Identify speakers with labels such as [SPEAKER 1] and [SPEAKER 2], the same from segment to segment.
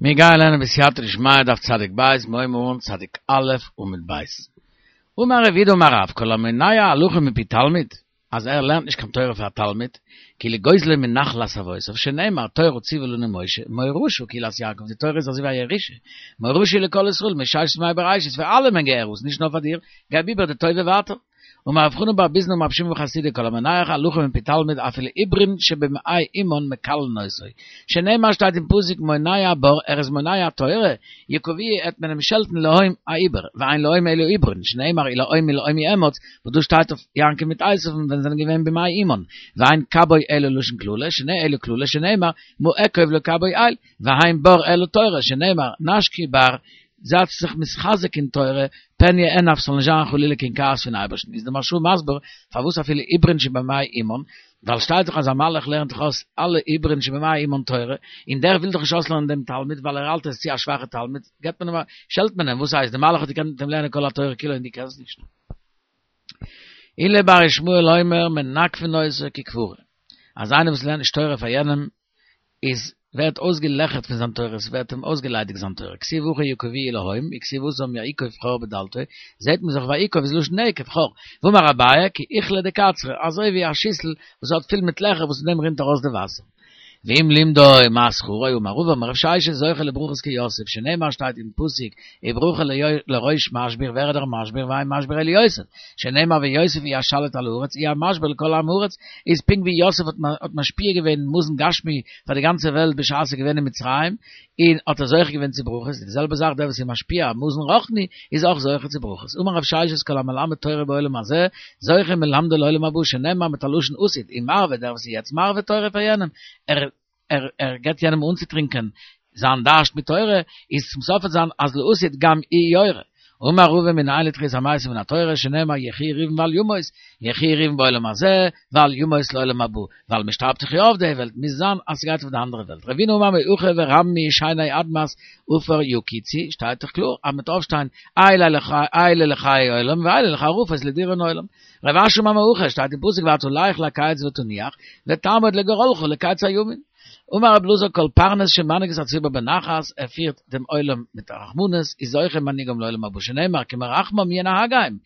[SPEAKER 1] מיר גייען לערנען בסייעתא דשמיא דף צדיק ב', מיר הייבן אן צדיק א' עמוד ב'. אמר רב יהודה אמר רב, כל המונע הלכה מפי תלמיד, אז ער לערנט נישט קיין תורה פאר א תלמיד, כאילו גוזלו מנחלת אבותיו, שנאמר תורה ציוה לנו משה, מורשה קהלת יעקב, די תורה איז אזוי ווי א ירושה, מורשה לכל ישראל, מששת ימי בראשית, פאר אלעמען געהערט עס, נישט נאר פאר דיר, געב איבער די טובה ווייטער. אמר רב חנן בר ביזנא אמר רבי שמעון בן חסידא כל המונע הלכה מפי תלמיד אפילו עוברין שבמעי אמן מקללין אותו שנאמר שטייט אין פסוק מונע בר ער איז מונע תורה יקוהו עט מען אים שעלטן לאום א עובר ואין לאום אלא עוברין שנאמר ולאום מלאום יאמץ וואס דא שטייט אויף יעקב מיט עשיו ווען זיי זענען געווען במעי אמן ואין כבוי אלא לשון קללה שנ אלא קללה שנאמר מה אקוב לכבוי אל ואין בר אלא תורה שנאמר נשקי בר זייטס זיך מתחזק אין תורה, פן יאנף ס'זאל נישט זיין חלילה קיין כעס פון אייבערשטן, איז די מהרש"א מסביר פארוואס אפילו עוברין שבמעי אמן, ווייל שטייט דאך אז א מלאך לערנט דאך אויס אלע עוברין שבמעי אמן תורה, און דער וויל דאך נישט אויסלערנען דעם תלמיד ווייל ער האלט ער איז צו א שוואכע תלמיד, געבט מען אים א, שעלט מען אים, וואס הייסט, די מלאך האט געקענט מיט אים לערנען כל התורה כולה און דו קענסט נישט? עולא בר ישמעאל אומר מנגפין אותו ככברה, אז איינער וואס לערנט נישט תורה פאר יענעם איז ווערט אויסגעלעכערט פון זיין תורה, ס'ווערט אים אויסגעליידיגט זיין תורה, כתיב הכא יקבוהו להום, וכתיב התם ויקב חור בדלתו, זעהט מען זיך ויקב איז לשון נקב, חור, ואמר אביי כי אוכלא דקצרא, אזוי ווי א שיסל וואס האט פול מיט לעכער וואס פון דעם רינט ארויס די וואסער. ואם לימדו מה שכרו, אמר רבא אמר רב ששת זוכה לברכות כיוסף, שנאמר שטייט אין פסוק וברכה לראש משביר, ווער איז דער משביר, ואין משביר אלא יוסף, שנאמר ויוסף הוא השליט על הארץ הוא המשביר לכל עם הארץ, איז פונקט ווי יוסף האט משפיע געווען מזון גשמי פאר די גאנצע וועלט בשעת ער איז געווען אין מצרים, און האט ער זוכה געווען צו ברכות, די זעלבע זאך דער וואס איז משפיע מזון רוחני איז אויך זוכה צו ברכות. אמר רב ששת כל המלמד תורה בעולם הזה, זוכה מלמדה לעולם הבא, שנאמר מיט א לשון עתיד, ומרבה דער וואס איז יעצט מרבה תורה פאר יענעם, ער ער ער געבט יענעם אנצוטרינקען זיין דארשט מיט תורה, איז צום סוף וועט זיין אז לעתיד גם הוא יורה. אמר רבא מנין לתחיית המתים מן התורה שנאמר יחי ראובן ואל ימות, יחי ראובן בעולם הזה ואל ימות לעולם הבא, ווייל מען שטארבט דאך יא אויף די וועלט, מוז זיין אז ס'גייט אויף די אנדערע וועלט. רבינא אמר מהכא ורמי שני אדמת עפר יקיצו, שטייט דאך קלאר אז מ'וועט אויפשטיין אלה לחיי עולם ואלה לחרפות לדיראון עולם. רב אשי אמר מהכא, שטייט אין פסוק ואתה לך לקץ ותנוח, ותעמוד לגורלך לקץ הימים. אמר רב אלעזר כל פרנס שמנהיג את הציבור בנחת, ער פירט דעם עולם מיט א רחמנות, איז זוכה מנהיגם לעולם הבא שנאמר כי מרחמם ינהגם,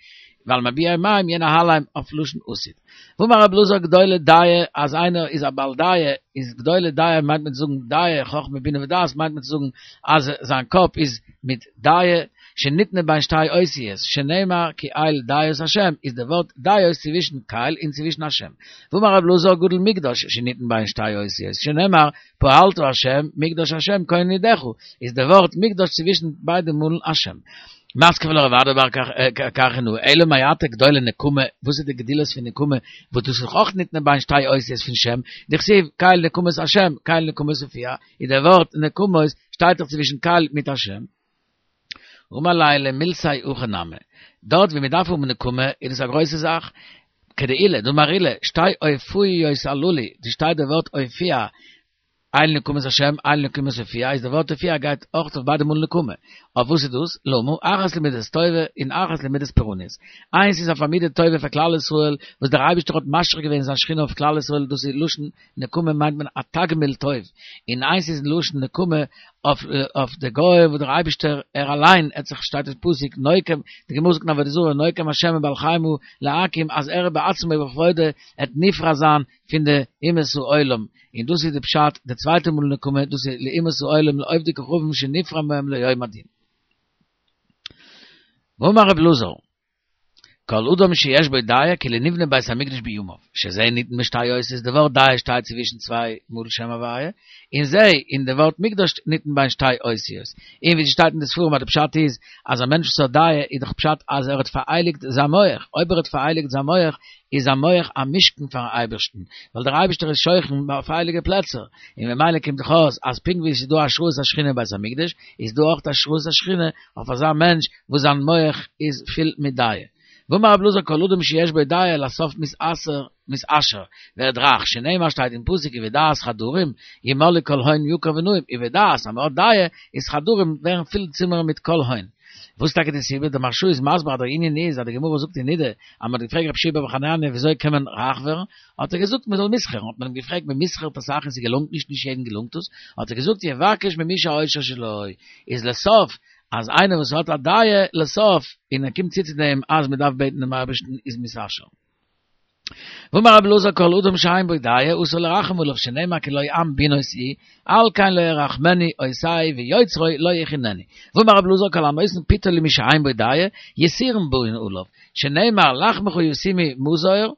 [SPEAKER 1] ועל מביאי מים ינהלם אויף לשון עתיד. ואמר רב אלעזר גדולה דעה אז איינער איז א בעל דעה איז גדולה דעה מיינט מען צו זאגן דעה חכמה בינה ודעת מיינט מען צו זאגן אז זיין קאפ איז מיט דעה שניתנה בין שתי אותיות, שנאמר כי אל דעות השם, איז די ווארט דעות צווישן קל און צווישן השם. ואמר רב אלעזר גדול מקדש שניתן בין שתי אותיות, שנאמר פעלת השם מקדש השם כוננו ידיך, איז די ווארט מקדש צווישן ביידע מאלן השם. מתקיף לה רב אדא בר קרחינאה, אלא מעתה גדולה נקמה, וואס איז די גדילות פון נקמה, וואס דאס איז דאך אויך ניתנה בין שתי אותיות פון שם, דכתיב קל נקמות השם, קל נקמות הופיע, איז די ווארט נקמות שטייט דאך צווישן קל מיט השם. אמר ליה למילתיה הכי נמי, דארט ווי מען דארף האבן נקמה איז דאס א גרויסע זאך, כדעולא, דאמר עולא, שתי הופעיות הללו, דא שטייט די ווארט הופיע, אל נקמות השם, אל נקמות הופיע, איז די ווארט הופיע גייט אויך אויף ביידע מאל נקמה, אויף וואס איז דאס? למה, אחת למידת טובה און אחת למידת פורענות. איינס איז אויף א מידה טובה פאר כלל ישראל, וואס דער אייבערשטער האט משרה געווען זיין שכינה אויף כלל ישראל, דאס איז לשון נקמה מיינט מען א תגמול טוב, און איינס איז לשון נקמה אויף אויף די גוים וואס דער אייבישטער ער אליין האט זיך שטייט אין פסוק נוקם, די גמרא זאגט אין עבודה זרה נוקם השם מבעל חמה להקים אז ער בעצמו ובכבודו עט נפרע זיין פון די אומות העולם, און דאס איז די פשט די צווייטע מאל נקמה דאס איז לאומות העולם לעובדי כוכבים שנפרע מהם ליום הדין. ואמר רב אלעזר. כל אדם שיש בו דעה כאילו נבנה בית המקדש בימיו, שזה ניתן בשתי אותיות, די ווארט דעה שטייט צווישן צוויי מאל שם הוויה, און זה און די ווארט מקדש ניתן בין שתי אותיות. און ווי ס'שטייט אין די ספרים אז די פשט איז אז א מענטש וואס האט דעה איז דאך פשט אז ער האט פארהייליגט זיין מח, אויב ער האט פארהייליגט זיין מח איז זיין מח א משכן פארן אייבערשטן, ווייל דער אייבערשטער איז שוכן אויף הייליגע פלעצער, און ממילא קומט דאך אויס אז פונקט ווי עס איז דא השראת השכינה אין בית המקדש, איז דא אויך השראת השכינה אויף אזא מענטש וואס זיין מח איז פול מיט דעה. ואמר רב אלעזר כל אדם שיש בו דעה לסוף מתעשר מתעשר, ווערט רייך, שנאמר שטייט אין פסוק ובדעת חדרים ימלאו כל הון יקר ונעים, ובדעת אז מען האט דעה איז חדרים ווערן פול צימערן מיט כל הון. וואס טאקע די סיבה? דער מהרש"א איז מסביר אז דער ענין איז אז די גמרא זאגט אין נידה אז מען האט געפרעגט רבי יהושע בר חנניה וויאזוי קען מען רייך ווערן, האט ער געזאגט מען זאל מסחר'ן, האט מען אים געפרעגט מען מסחר'ט אסאך און ס'געלונגט נישט, נישט יעדן געלונגט עס, האט ער געזאגט יבקש ממי שהעושר שלו, איז לסוף אז איינער וואס האט א דעה לסוף און ער קומט צו צו דעם אז מען דארף בעטן דעם אייבערשטן איז מתעשר. ואמר רבי אלעזר כל אדם שאין בו דעה אסור לרחם עליו שנאמר כי לא עם בינות הוא על כן לא ירחמנו עושהו ויוצרו לא יחננו ואמר רבי אלעזר כל הנותן פתו למי שאין בו דעה יסורים באין עליו שנאמר לחמך ישימו מזור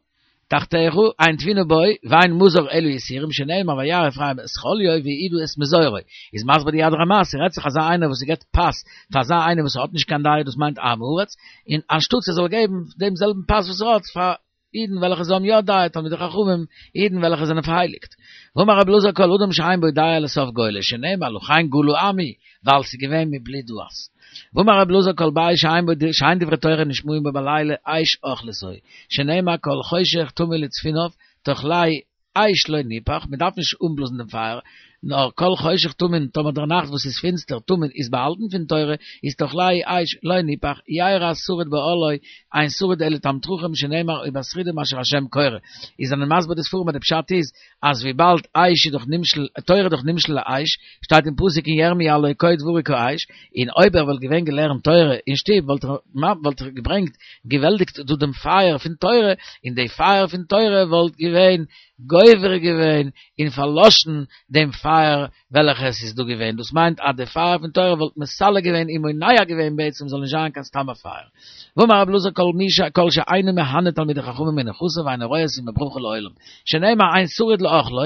[SPEAKER 1] תחתיך אין תבונה בו ואין מזור אלא יסורים שנאמר וירא אפרים את חוליו ויהודה את מזורו איז מסביר די יד רמה ס'רעדט זיך אזא איינער וואס ס'געבט פת פאר אזא איינער וואס האט נישט קיין דעה דאס מיינט עם הארץ און אנשטאטס ער זאל געבן דעם זעלבן פת וואס ער האט פאר אידן וועלכע זיי האבן יא דעה, תלמידי חכמים, אידן וועלכע זענען פארהייליגט. ואמר רבי אלעזר כל אדם שאין בו דעה לסוף גולה, שנאמר לכן גלה עמי, ווייל ס'איז געווען מבלי דעת. ואמר רבי אלעזר כל בית שאין בו שאין דברי תורה נשמעים בו בלילה אש אוכלתו, שנאמר כל חושך תמיד לצפוניו, תאכלהו אש לא ניפח, מען דארף נישט אנבלאזן דעם פייער, נאר כל חושך טמון, טאמער דער נאכט וואס איז פינסטער, טמון, איז באהאלטן פון תורה, איז תאכלהו אש לא ניפח, ירא שריד באהלו, אין שריד אלא תלמיד חכם שנאמר ובשרידים אשר השם קורא. איז זענען מסביר די ספרים אז די פשט איז, אז וויבאלד אש איז דאך נמשל, תורה איז דאך נמשל לאש, שטייט אין פסוק אין ירמי' הלא כה דברי כאש, און אויב ער וואלט געווען געלערנט תורה אין שטוב וואלט ער וואלט ער געברענגט געוועלטיגט דא דעם פייער פון תורה, און די פייער פון תורה וואלט געווען גובר געווען און פארלאשן דעם פייער וועלכע עס איז דא געווען, דאס מיינט אז די פייער פון תורה וואלט מסלק געווען און מונע געווען בעצם זאל נישט זיין קיין סתם א פייער. ואמר רבי אלעזר כל מי ש כל שאינו מהנה תלמידי חכמים מנכסיו אינו רואה סימן ברכה לעולם, שנאמר אין שריד לאכלו,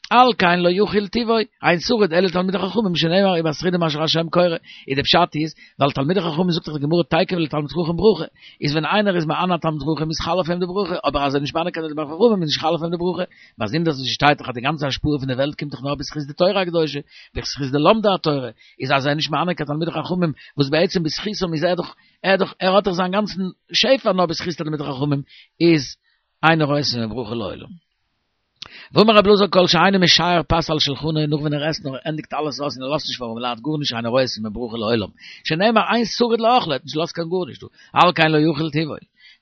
[SPEAKER 1] על כן לא יוכל טובו, אין שריד אלא תלמידי חכמים שנאמר ובשרידים אשר השם קורא, איז די פשט איז, ווייל תלמידי חכמים זאגט דאך די גמרא תיכף לתלמיד חכם ברכה, איז ווען איינער איז מהנה א תלמיד חכם איז חל אויף אים די ברכה, אבער אז ער איז נישט מהנה קיין תלמיד חכמים איז נישט חל אויף אים די ברכה, באזונדערס וואס שטייט דאך אז די גאנצע השפעה פון די וועלט קומט דאך נאר בזכות די תורה הקדושה, בזכות די לומדי התורה, איז אז ער איז נישט מהנה קיין תלמידי חכמים, וואס בעצם בזכותם איז ער דאך, ער דאך, ער האט דאך זיין גאנצן שפע נאר בזכות תלמידי חכמים, איז אינו רואה סימן ברכה לעולם. ואמר רבי אלעזר כל שאינו משייר פת על שלחנו נאך ווען ער עסט נאר ער ענדיגט אלעס אויס און ער לאזט נישט פאר ארעמעלייט גארנישט אינו רואה סימן ברכה לעולם שנאמר אין שריד לאכלו ער האט נישט געלאזט קיין גארנישט דא על כן לא יוכל טובו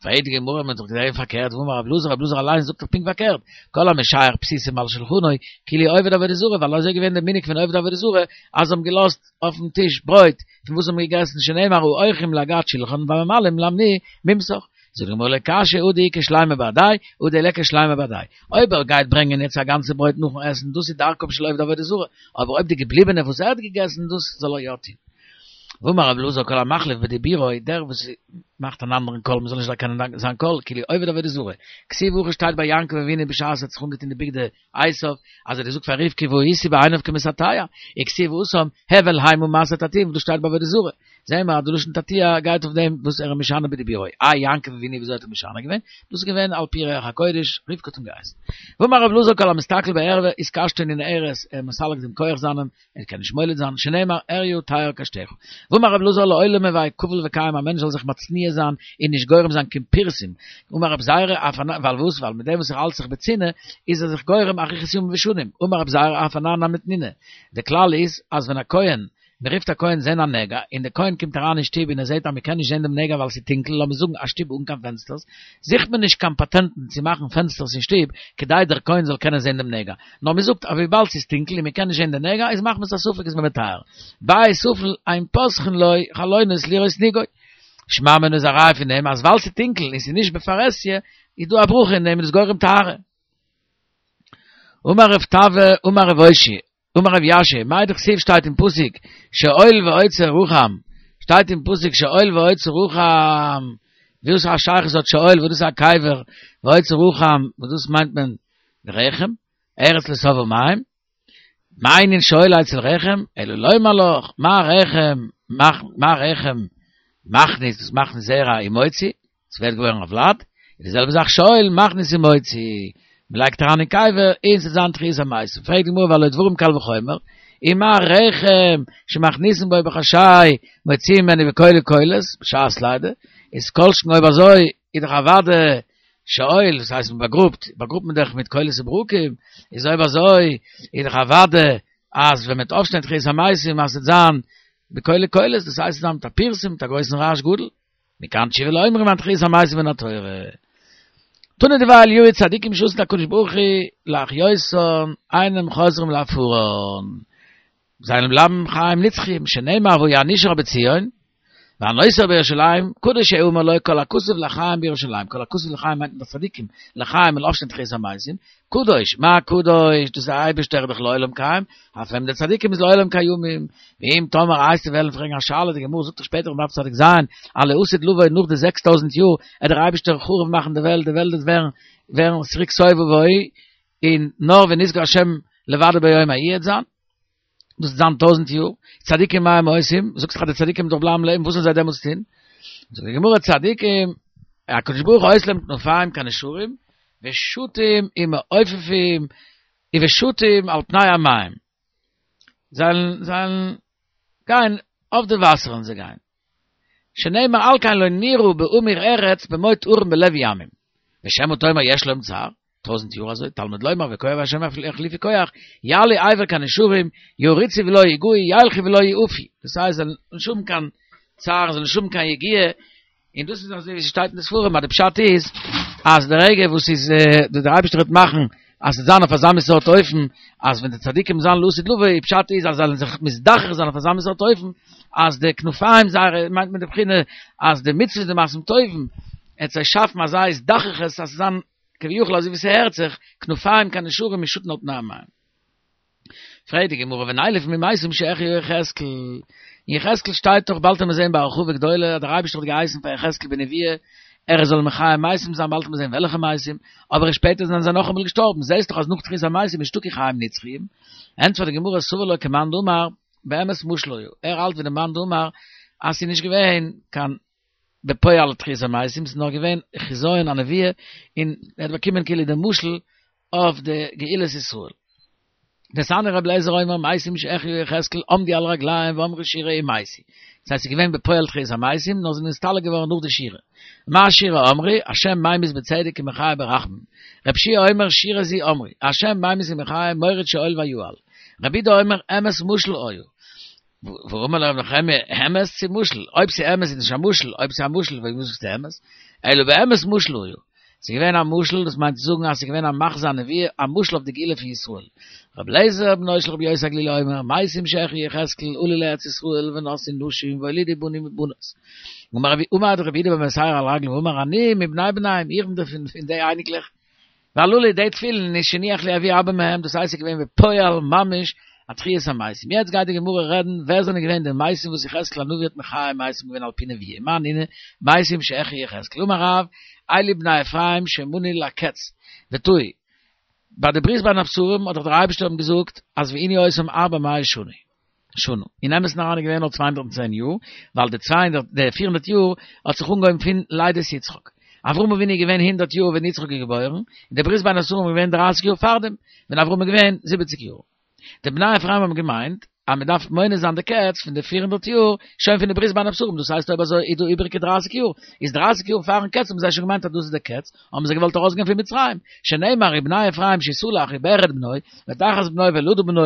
[SPEAKER 1] פרעגט די גמרא מען האט דאך געזעהן פארקערט והאמר רבי אלעזר רבי אלעזר אליין זאגט דאך פונקט פארקערט כל המשייר פתיתים על שלחנו כאילו עובד עבודה זרה ווייל אזוי איז געווען די מנהג פון עובדי עבודה זרה אז זיי האבן געלאזט אויפן טיש ברויט פון וואס זיי האבן געגעסן שנאמר האורחים לגת שלחן והממלאים למני ממסך זאגט די גמרא לא קשיא הא דאיכא שלימא בהדיה הא דליכא שלימא בהדיה. אויב ער גייט ברענגען יעצט א גאנצע ברויט נאכן עסן, דאס איז דרכם של עובדי עבודה זרה, אבער אויב די געבליבענע וואס ער האט געגעסן, דאס זאל ער יא טון. ואמר רבי אלעזר כל המחליף בדיבורו, דער וואס מאכט אן אנדערן קול, מען זאל נישט דערקענען זיין קול, כאילו עובד עבודה זרה. כתיב הכא שטייט ביי יעקב אבינו בשעת ער האט זיך אנגעטון די בגדי עשיו, אז ער האט געזאגט פאר רבקה והייתי בעיניו כמתעתע, וכתיב התם, הבל המה מעשה תעתועים, דאס שטייט ביי עבודה זרה. זעהן מיר אז די לשון תעתוע גייט אויף דעם וואס ער איז משנה בדיבורו. איי יעקב אבינו וויאזוי האט ער משנה געווען? דאס איז געווען על פי רוח הקודש, רבקה האט אים געהייסן. ואמר רבי אלעזר כל המסתכל בערווה איז קשתו ננערת, ער איז מסלק דעם כח זיינעם, ער קען נישט מוליד זיין, שנאמר עריה תער קשתך. ואמר רבי אלעזר לעולם הוי כפול וקיים א מענטש זאל זיך מצניע זיין און נישט גורם זיין קיין פירסום. אמר רבי זירא אף אנן, ווייל וואס? ווייל מיט דעם וואס ער האלט זיך בצנעה איז ער זיך גורם אריכות ימים ושנים. אמר רבי זירא אף אנן נמי תנינא. די כלל איז אז ווען א כהן מען רופט א כהן זען א נגע, און דער כהן קומט אריין אין שטוב און ער זעט אז מען קען נישט זען דעם נגע ווייל ס'איז טונקל, לאמיר זאגן א שטוב אן קיין פענסטערס, זוכט מען נישט קיין פאטענטן צו מאכן פענסטערס אין שטוב כדי דער כהן זאל קענען זען דעם נגע, נאר מען זאגט אז וויבאלד ס'איז טונקל און מען קען נישט זען די נגע איז מחמת הספק איז מען מטהר. בית אפל אין פותחין לו חלונות לראות נגעו. שמע מינה איז א ראיה פון דעם אז ווייל ס'איז טונקל און ס'איז נישט בפרהסיא איז דא א ברכה אין דעם און איז גורם טהרה. אמר רב טבי אמר רב אושעיא אמר רב יאשיה, מאי דכתיב שטייט אין פסוק, שאול ואוצר רחם, שטייט אין פסוק שאול ואוצר רחם, וואס א שייכות האט שאול וואס דאס איז א קבר, ואוצר רחם וואס דאס מיינט מען רחם, ארץ לא שבעה מים, מה ענין שאול אצל רחם, אלא לומר לך, מה רחם, מה רחם מכניס, דאס מכניס זרע ומוציא, עס ווערט געבוירן א ולד, איז די זעלבע זאך שאול מכניס ומוציא, מען לייגט אריין אין קבר און ס'וועט זיין תחיית המתים, פרעגט די גמרא והלא דברים קל וחומר, ומה רחם שמכניסין בו בחשאי מוציאים ממנו בקולי קולות בשעת לידה, איז כל שכן אויב אזוי איז דאך אוודאי שאול, דאס הייסט מען באגראבט, באגראבט מען דאך מיט קולות וברקים, איז אויב אזוי איז דאך אוודאי אז ווען מען וועט אויפשטיין תחיית המתים אז ס'וועט זיין. בקולי קולות, דאס הייסט ס'וועט זיין מיט א פרסום, מיט א גרויסן רעש גדול. מכאן תשובה לאומרים אין תחיית המתים מן התורה. תנא דבי אליהו צדיקים שעתיד הקדוש ברוך הוא להחיותן אינם חוזרים לעפרן. זיי וועלן בלייבן חיים נצחיים, שנאמר והיה הנשאר בציון, והנותר בירושלים, קדוש יאמר לו כל הכתוב לחיים בירושלים, כל הכתוב לחיים מיינט מען די צדיקים, לחיים וועלן אויפשטיין תחיית המתים, קדוש, מה קדוש, דאס איז דער אייבערשטער דאך לעולם קיים, אף הם די צדיקים איז לעולם קיימים, ואם תאמר וועסטו וועלן פרעגן א שאלה, די גמרא זאגט דאך שפעטער אין דף צדיק ז, אז לעתיד לבוא נאך די 6000 יאר, עט דער אייבערשטער חרוב מאכן די וועלט, די וועלט וועט ווערן ווערן צוריק תוהו ובוהו, און נאר ונשגב השם לבדו ביום ההוא עט זיין. דאס וועט זיין טויזנט יאר, צדיקים מה הם עושים, זאגסט דאך אז די צדיקים וועלן דאך בלייבן לעבן, וואס זאלן זיי דעמאלטס טון? זאגט די גמרא צדיקים, הקדוש ברוך הוא עושה להם כנפיים כנשרים, ושטים ומעופפים, ושטים על פני המים, זיי וועלן גיין אויף די וואסער וועלן זיי גיין. שנאמר על כן לא נירא בהמיר ארץ במוט הרים בלב ימים. ושמא תאמר יש להם צער, טויזנט יאר אזוי, תלמוד לומר וכוח השם יחליפו כח, יעלו אבר כנשרים, ירוצו ולא יגעו, ילכו ולא יעפו. דאס הייסט זיי זאלן נישט האבן קיין צער, זיי זאלן נישט האבן קיין יגיעה, און דאס איז אזוי ווי ס'שטייט אין די ספרים אז די פשט איז אז די רגע וואס איז דער אייבערשטער וועט מאכן אז ס'זאל זיין אויף אזא מין סארט אופן אז ווען די צדיקים זיין לעתיד לבוא די פשט איז אז זיי זאלן זיך מזדכך זיין אויף אזא מין סארט אופן אז די כנפיים זייערע מיינט מען די בחינה אז די מצוות די מעשים טובים עט זיי שאפן אזא הזדככות אז ס'זאל זיין כביכול אזוי ווי ס'הערט זיך כנפיים כנשרים ושטין על פני המים. פרעגט די גמרא ונילף ממתים שהחיה יחזקאל, אין יחזקאל שטייט דאך באלד עמיר זעהן בהרחבה גדולה אז דער אייבערשטער האט געהייסן פאר יחזקאל בנביאה ער זאל מחיה מתים זיין באלד עמיר זעהן וועלכע מתים, אבער שפעטער זענען זיי נאכאמאל געשטארבן, זעהסט דאך אז נאך תחיית המתים איז נישטא קיין חיים נצחיים, ענטפערט די גמרא סבר לה כמאן דאמר באמת משל היה, ער האלט ווי די מאן דאמר אז ס'איז נישט געווען קיין בפועל תחיית המתים, ס'איז נאר געווען חזיון הנבואה און ער האט באקומען כאילו די משל אויף די גאולת ישראל. דתניא רבי אליעזר אומר מתים שהחיה יחזקאל עמדו על רגליהם ואמרו שירה ומתו. דאס הייסט ס'איז געווען בפועל תחיית המתים נאר זיי זענען נסתלק געווארן נאך די שירה. מה שירה אמרו השם ממית בצדק ומחיה ברחמים. רבי יהושע אומר שירה זו אמרו השם ממית ומחיה מוריד שאול ויעל. רבי יהודה אומר אמת משל היה. ואמר לו רבי נחמיה, אמת צו משל? אויב ס'איז אמת איז נישט א משל, אויב ס'איז א משל פארוואס זאגסטו אמת? אלא באמת משל היה. ס'איז געווען א משל, דאס מיינט צו זאגן אז ס'איז געווען א מחזה הנבואה, א משל אויף די גאולה פון ישראל. רבי אליעזר בנו של רבי יוסי הגלילי אומר, מתים שהחיה יחזקאל עלו לארץ ישראל ונשאו נשים והולידו בנים ובנות. עמד רבי יהודה בן בתירא על רגליו ואמר אני מבני בניהם, איך בין פון די אייניקלעך. והללו די תפילין איז שהניח לי אבי אבא מהם, דאס הייסט ס'איז געווען בפועל ממש א תחיית המתים. יעצט גייט די גמרא רעדן ווער זענען געווען די מתים וואס יחזקאל הנביא האט מחיה מתים געווען על פי נבואה, מאי נינהו מתים שהחיה יחזקאל אמר רב, אלו בני אפרים שמנו לקץ וטעו, ביי די ברית בין הבתרים האט דאך דער אייבערשטער אים געזאגט אז וענו אותם ארבע מאות שנה. שנה. אין אמת'ן אריין איז געווען נאר 210 יאר, ווייל די 200, די 400 יאר האט זיך אנגעהויבן פון לידת יצחק. אברהם אבינו איז געווען הונדערט יאר ווען יצחק איז געבוירן, און די ברית בין הבתרים איז געווען דרייסיג יאר פארדעם, ווען אברהם איז געווען זיבעציג יאר. די בני אפרים האבן געמיינט אז מען דארף מונה זיין די קץ פון די 400 יאר שוין פון די ברית בין הבתרים, דאס הייסט אויב אזוי איז דא איבעריגע דרייסיג יאר, איז דרייסיג יאר פארן קץ האבן זיי שוין געמיינט אז דאס איז די קץ, האבן זיי געוואלט ארויסגיין פון מצרים, שנאמר ובני אפרים שותלח וברד בנו, ותחת בנו ואלעדה בנו,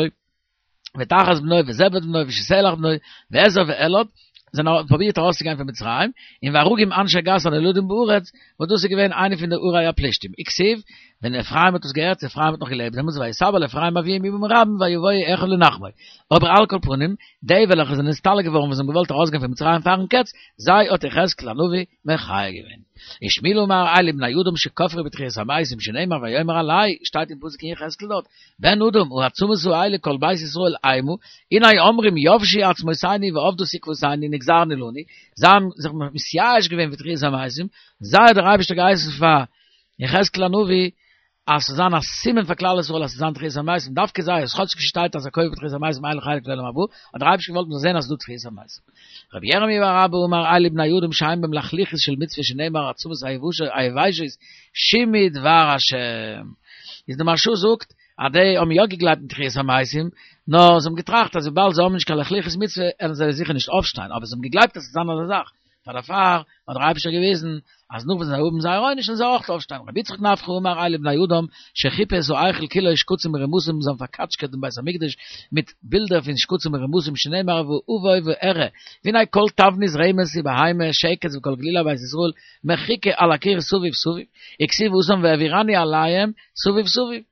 [SPEAKER 1] ותחת בנו וזבד בנו ושותלח בנו ועזר ואלעד זיי האבן פרובירט ארויסצוגיין פון מצרים און והרוגים אנשי גת הנולדים בארץ וואס דאס איז געווען איינע פון די ערי הפלישתים וכתיב ווען אפרים האט עס געהערט אפרים האט נאך געלעבט דעמאלטס ויתאבל אפרים אביהם ימים רבים ויבואו אחיו לנחמו אבער על כל פנים די וועלכע זענען נסתלק געווארן וואס האבן געוואלט ארויסגיין פון מצרים פארן קץ זיי האט יחזקאל הנביא מחיה געווען. ושמואל אמר אלו בני אדם שכפרו בתחיית המתים שנאמר ויאמר אלי, שטייט אין פסוק אין יחזקאל דארט, בן אדם העצמות האלה כל בית ישראל המה, הנה אומרים יבשו עצמותינו ואבדה תקוותנו נגזרנו לנו, זיי האבן זיך מתייאש געווען פון תחיית המתים, זיי האט דער אייבערשטער געהייסן פאר יחזקאל הנביא אז ס'זאל זיין א סימן פאר כלל ישראל אז ס'זאל זיין תחיית המתים, דווקא זיי, אז כאטשיג ס'שטייט אז הכופר בתחיית המתים אין לו חלק לעולם הבא, האט דער אייבערשטער געוואלט מ'זאל זען אז ס'איז דא תחיית המתים. רבי ירמי' בר אבא אמר אלו בני אדם שאין בהם לחלוחית של מצוה שנאמר העצמות היבשות שמעו דבר השם. איז די מהרש"א זאגט אז די האבן יא געגלייבט אין תחיית המתים, נאר זיי האבן געטראכט אז וויבאלד זיי האבן נישט קיין לחלוחית מצוה וועלן זיי זיכער נישט אויפשטיין, אבער זיי האבן געגלייבט אז ס'וועט זיין אזא זאך. פאר דערפאר האט דער אייבישטער געוויזן אז נאך וואס זיי האבן זייער עונש זאלן זיי אויך אויפשטיין. רבי יצחק נפחא אמר אלו בני אדם שחיפו את ההיכל כולו שקצים ורמשים זיי האבן פארקאטשקעט דעם בית המקדש מיט בילדער פון שקצים ורמשים שנאמר ואבוא ואראה והנה כל תבנית רמש ובהמה שקץ וכל גלילי בית ישראל מחוקה על הקיר סביב סביב וכתיב התם והעבירני עליהם סביב סביב.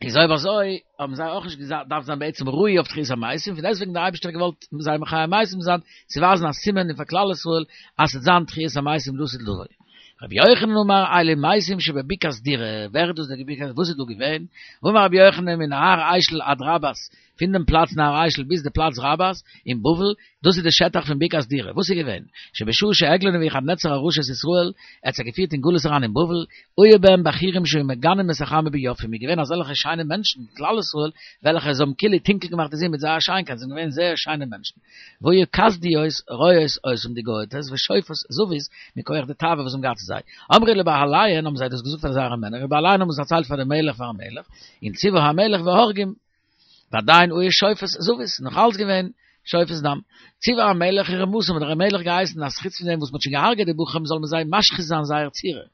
[SPEAKER 1] איז אויב אזוי האבן זיי אויך נישט געדארפט זיין בעצם ראוי אויף תחיית המתים, פון דעסטוועגן דער אייבערשטער האט געוואלט זיי מחיה מתים זיין, צו ווייזן א סימן און פאר כלל ישראל אז ס'וועט זיין תחיית המתים לעתיד לבוא. רבי יוחנן אמר אלו מתים שבבקעת דורא, ווער איז דאס דער בקעת, וואס איז דא געווען? ואמר רבי יוחנן מנהר אשל עד רבת, פון דעם פלאץ נהר אשל ביז די פלאץ רבת אין בבל, דאס איז די שטח פון בקעת דורא, וואס איז געווען? שבשעה שהגלה נבוכדנצר הרשע את ישראל, ער האט זיי געפירט אין גלות אריין אין בבל, היו בהם בחורים שהיו מגנים את החמה ביופים, איז געווען אזעלכע שיינע מענטשן, כלל ישראל, וועלכע זיי האבן כאילו טונקל געמאכט די זון מיט זייער שיינקייט, זיי זענען געווען זייער שיינע מענטשן. והיו כשדיות רואות אותם די גויטעס ושופעות זבות מכח די תאווה וואס זיי האבן געהאט צו זיי. אמרו לבעליהן האבן זיי דאס געזאגט פאר זייערע מענער, ובעליהן האבן עס דערציילט פאר דעם מלך פארן מלך, און ציוה המלך והורגים. ועדיין היו שופעות זבות, נאך אלץ געווען שופעות דם. ציוה המלך ורמסם, האט דער מלך געהייסן אז חוץ פון דעם וואס מ'האט שוין געהארגעט די בחורים זאל מען זיי משחית זיין זייער צורה.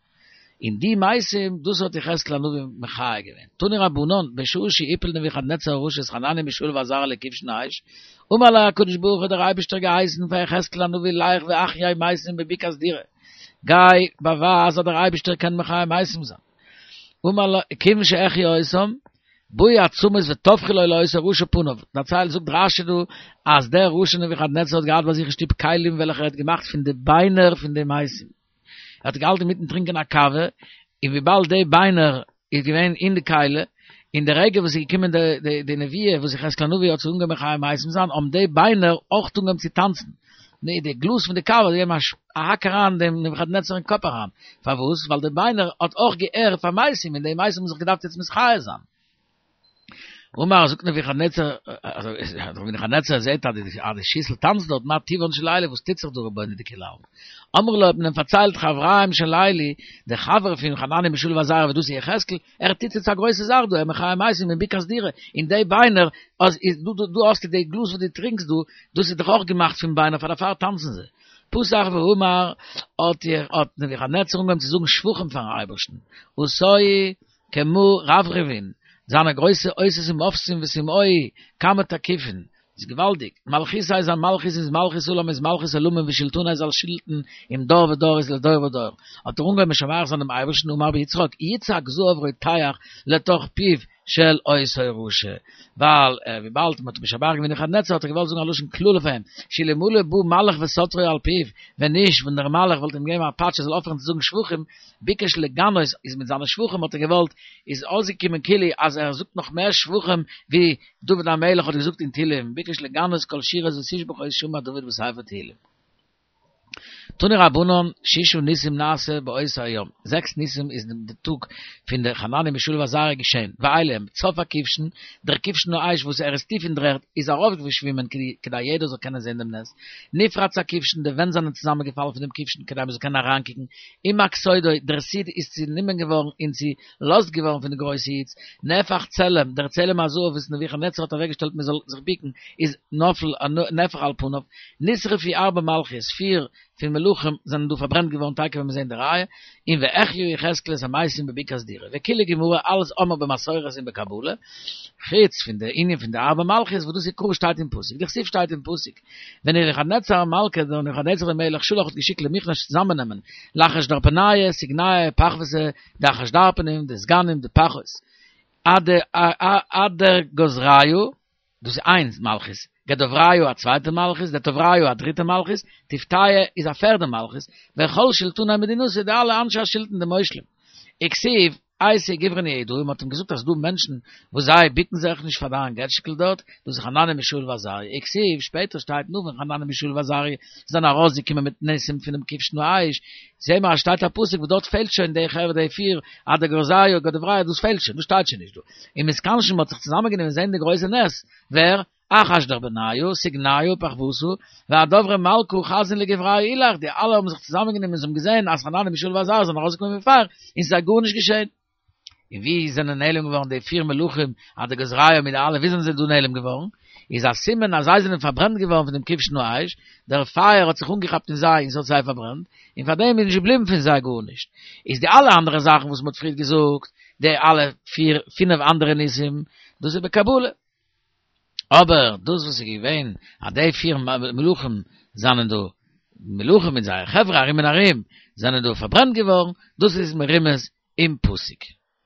[SPEAKER 1] און די מתים, דאס האט יחזקאל הנביא מחיה געווען. תנו רבנן, בשעה שהפיל נבוכדנצר הרשע את חנניה מישאל ועזריה לכבשן האש, אמר לו הקדוש ברוך הוא האט דער אייבערשטער געהייסן פאר יחזקאל הנביא לך והחיה מתים בבקעת דורא, גיי באווייז אז דער אייבערשטער קען מחיה מתים זיין. אמר לו, כיוון שהחיה אותם, באו עצמות וטפחו לו לאותו רשע פניו, דערציילט זאגט רשי דא אז דער רשע נבוכדנצר האט געהאט ביי זיך אין שטוב כלים וועלכע ער האט געמאכט פון די ביינער פון די מתים, ער האט געהאלטן אינמיטן טרינקען א קאווע, און וויבאלד די ביינער איז געווען אין די כלי, אין די רגע וואס איז געקומען די די נבואה וואס יחזקאל הנביא האט זיי אנגעהויבן מחיה מתים זיין, האבן די ביינער אויך אנגעהויבן צו טאנצן, די די גלאז פון די קאווע האט געגעבן א האק אריין דעם נבוכדנצר אין קאפ אריין, פארוואס? ווייל די ביינער האט אויך געהערט פאר מתים און די מתים האבן זיך געדארפט יעצט מתחיה זיין. אמר זאגט נבוכדנצר, נבוכדנצר זעט אז די שיסל טאנצט דארט, מה טיבן של אלו, וואס טוט זיך דא רבונו דכולי עלמא? אמרו לו האט מען אים פארציילט חבריהם של אלו, די חבר פון חנניה מישאל ועזריה וואס דאס איז יחזקאל, ער טוט יעצט א גרויסע זאך דא, ער מחיה מתים אין בקעת דורא, און די ביינער, אז דא האסטו די גלאז וואס דו טרינקסט דא, דאס איז דאך אויך געמאכט פון ביינער, פאר דערפאר טאנצן זיי. פתח ואמר, האט האט נבוכדנצר אנגעהויבן צו זאגן שבחים פארן אייבערשטן, עשאוהו כמה רברבין, זיינע גרויסע אותות ומופתים וסימאוהו כמה תקיפין, איז געוואלדיג, מלכותיה זיין מלכות איז מלכות עולם איז מלכות עולמים ושלטוניה זיין שלטון עם דור ודור איז לדור ודור, האט ער אנגעהויבן משבח זיין דעם אייבערשטן אמר ביצחק יצעק זהב רותח לתוך פיו של אותו רשע, ווייל וויבאלד מען האט משבח געווען נבוכדנצר האט ער געוואלט זאגן א לשון קללה פאר אים, שאלמלא בא מלאך וסטרו על פיו, ווען נישט ווען דער מלאך וואלט אים געגעבן א פאטש ער זאל אויפהערן צו זאגן שבחים, ביקש לגנות איז מיט זיינע שבחים האט ער געוואלט איז אויסגעקומען כאילו אז ער זאגט נאך מער שבחים ווי דוד המלך האט געזאגט אין תהילים ביקש לגנות כל שירות ותשבחות שאמר דוד בספר תהילים. תנו רבנן שישה ניסים נעשה באותו היום, זעקס ניסים איז אין די טאג פון די חנניה מישאל ועזריה געשען, ואלו הם, צף הכבשן, דער כבשן האש וואס ער איז טיף אין דר'ערד איז ארויפגעשווימען כדי יעדער זאל קענען זען דעם נס, נפרץ הכבשן, די ווענט זענען צוזאמענגעפאלן פון דעם כבשן כדי מען זאל קענען אריינקוקן, הומק סודו, דער סוד איז צענומען געווארן און צולאזט געווארן פון די גרויסע היץ, נהפך צלם, דער צלם הזהב וואס נבוכדנצר האט אוועקגעשטעלט מען זאל זיך בוקן, איז נפל, נהפך על פניו, נשרפו ארבע מלכיות, פיר פון מלכים זענען דא פארברענט געווארן תיכף ווען מיר זעהן די ראיה, און והחיה יחזקאל את המתים בבקעת דורא, וכולי גמרא אלעס האמיר במסורת און בקבלה, חוץ פון די ענין פון די ארבע מלכיות וואס דאס איז קרא שטייט אין פסוק, דכתיב שטייט אין פסוק, ונבוכדנצר מלכא דער נבוכדנצר דער מלך שלח האט געשיקט למכנש צוזאמענעמען לאחשדרפניא סגניא פחוותא די אחשדרפנים די סגנים די פחות אדרגוזריא דאס איז איינס מלכות, גדבריא א צווייטע מלכות, דטבריא א דריטע מלכות, טיפטיא איז א פערדע מלכות, וכל שלטני מדינתא די אלע אנשי השלטון די מושלים. וכתיב, אייתי גוברין יהודאי, מען האט אים געזאגט אז ס'דא מענטשן וואס זיי בוקן זיך נישט פאר דיין געטשקע דארט, דאס איז חנניה מישאל ועזריה, וכתיב, שפעטער שטייט נאך ווען חנניה מישאל ועזריה זענען ארויסגעקומען מיט נסים פונעם כבשן האש, זעהן מיר אז שטייט א פסוק וואס דארט פעלט שוין די חברה די פיר, אדרגוזריא גדבריא דאס פעלט שוין, דאס שטייט שוין נישט דא. ומתכנשין מ'האט זיך צוזאמענגענומען זעהן די גרויסע נס, ווער? אחשדרבניא, סגניא, פחוותא, ואדברי מלכא חזין לגוברייהו אילך, די אלע האבן זיך צוזאמענגענומען און זיי האבן געזען אז חנניה מישאל ועזריה זענען ארויסגעקומען פון פייער און ס'איז זיי גארנישט געשען. און ווי זענען נעלם געווארן די פיר מלכים אדרגזריה מיט די אלע ווי זענען זיי דא נעלם געווארן? איז א סימן אז זיי זענען פארברענט געווארן פון דעם כבשן האש, דער פייער האט זיך אנגעכאפט אין זיי און ס'האט זיי פארברענט, און פאר דעם איז נישט געבליבן פון זיי גארנישט. איז די אלע אנדערע זאכן וואס מ'האט פריערט געזאגט, די אלע פיר פינף אנדערע ניסים, דאס איז בקבלה. אבער דאס וואס איז געווען אז די פיר מלכים זענען דא, מלכים מיט זייער חברה ארום און ארום, זענען דא פארברענט געווארן, דאס איז מרומז אין פסוק.